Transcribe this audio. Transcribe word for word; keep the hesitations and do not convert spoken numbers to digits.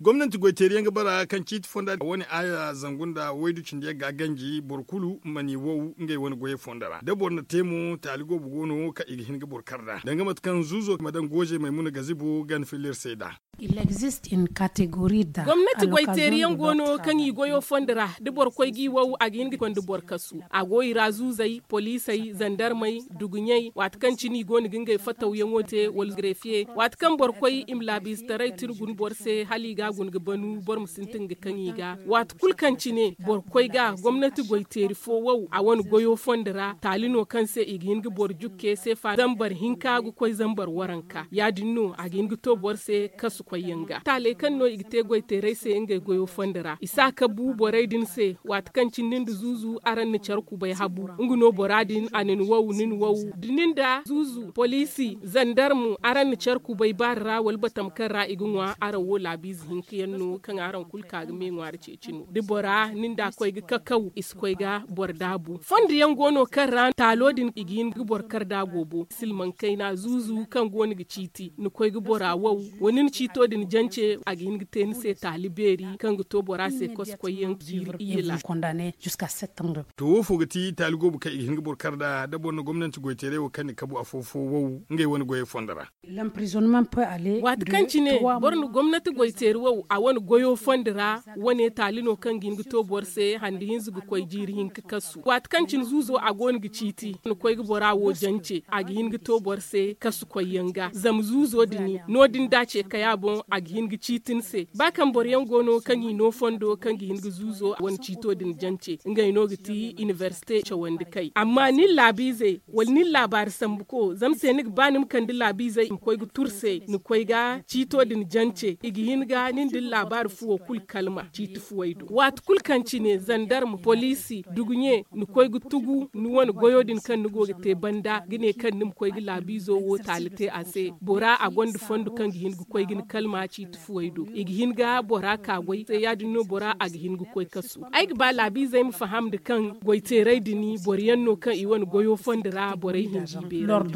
Gomnanti goy teeri yaŋ ga bara kaŋ ciiti fonda wane aaya zangu nda waydu cindi yaŋ ga ganji boro kulu ma ni wow ngey wane goyey fondo ra da boro na te mo taali goobo go no kaŋ i ga hin ga boro kar nd'a danga mate kaŋ zuuzo ma daŋ goozey maymuna gazibo gana filla iri se nd'a. Gomnati goy teeri yaŋ go no kaŋ i goyo fondo ra da boro koy g'i wow a ga hin ga konda boro kasu. A go i ra zuuzey poliisey zandarmey duguɲey waati kaŋ cine i go no ga ngey fatawyaŋo te wala greefiye waati kaŋ boro koy i ma laabiizetaray tira guna boro se hala i ga a guna ga banu boro ma sintin ga kaŋ i ga. Waati kulu kaŋ cine boro koy ga gomnati goy teeri fo wow a wane goyo fondo ra taali no kaŋ se i ga hin ga boro jukke seefa zambar hinka ga koy zambar waranka ya- din no a ga hin ga to boro se kasu koyyaŋ ga taaley kaŋ no i ga te goy teerey se ngey goyo fondo ra i si a kabu borey din se. Waati kaŋ cine ni nda zuuzu araŋ na care kubay habu nga no bora din a na ni wow ni na wow da ni nda zuuzu poliisi zandarmu araŋ na care kubay baari ra wala batama kaŋ ra i ga ŋwa araŋ wo laabiize hinka yaŋ no kaŋ araŋ kulu ka ga me ŋwaari ceeci no da bora ni nda koy ga kakaw i si koy ga boro daabu fondo yaŋ go no kaŋ ra taalo din i ga hin ga boro kar da goobo silmaŋ kayna zuuzu kaŋ go no ga ciiti ni koy ga bora wow wala ni na ciito din jance a ga hin ga te ni se taali beeri kaŋ ga to bora se kosokoyyaŋ jiiri iyye laala. To wo fo ga ti taali goobo kaŋ i ga hin ga boro kar nd'a da boro na gomnanti goy teeray wo kaŋ ni kabu afo fo wow ngey wane goyey fondo ra. Waati kaŋ cine boro na gomnati goy teeri wow a wane goyo fondo ra wane taali no kaŋ ga hin ga to boro se handi hinza ga koy jiiri hinka kasu waati kaŋ cine zuuzo a go no ga ciiti ni koy ga bora wo jance a ga hin ga to boro se kasu koyyaŋ ga zama zuuzo din no- din da a ce kay a boŋ a ga hin ga ciiti ni se ba kaŋ boro yaŋ go no kaŋ i no fondo kaŋ ga hin ga zuuzo wane ciito din jance ngey no ga ti inibersite cawandi kay amma ni laabiizey wala ni laabaari sambu ko zama se ni ga ba ni ma kande laabiizey i ma koy ga tur se ni koy ga ciito din jance i ga hin ga ni nda ni laabaari fuwo kulu kalma ciiti fuwey do waati kulu kaŋ cine zandarma poliisi duguɲe ni koy ga tugu ni wane goyo din kaŋ ni go ga te banda ga ne kaŋ ni ma koy ga laabiizo wo taali te a se bora a gonda fondo kaŋ ga hin ga koy ga ni kalma ciiti fuwey do i ga hin ga bora ka goy se ya- din no bora a ga hin ga koy kasu ay ga ba laabiizey ma faham nda kaŋ goy teeray din boro yaŋ no kaŋ i wane goyo fondo ra borey hinji beerandi.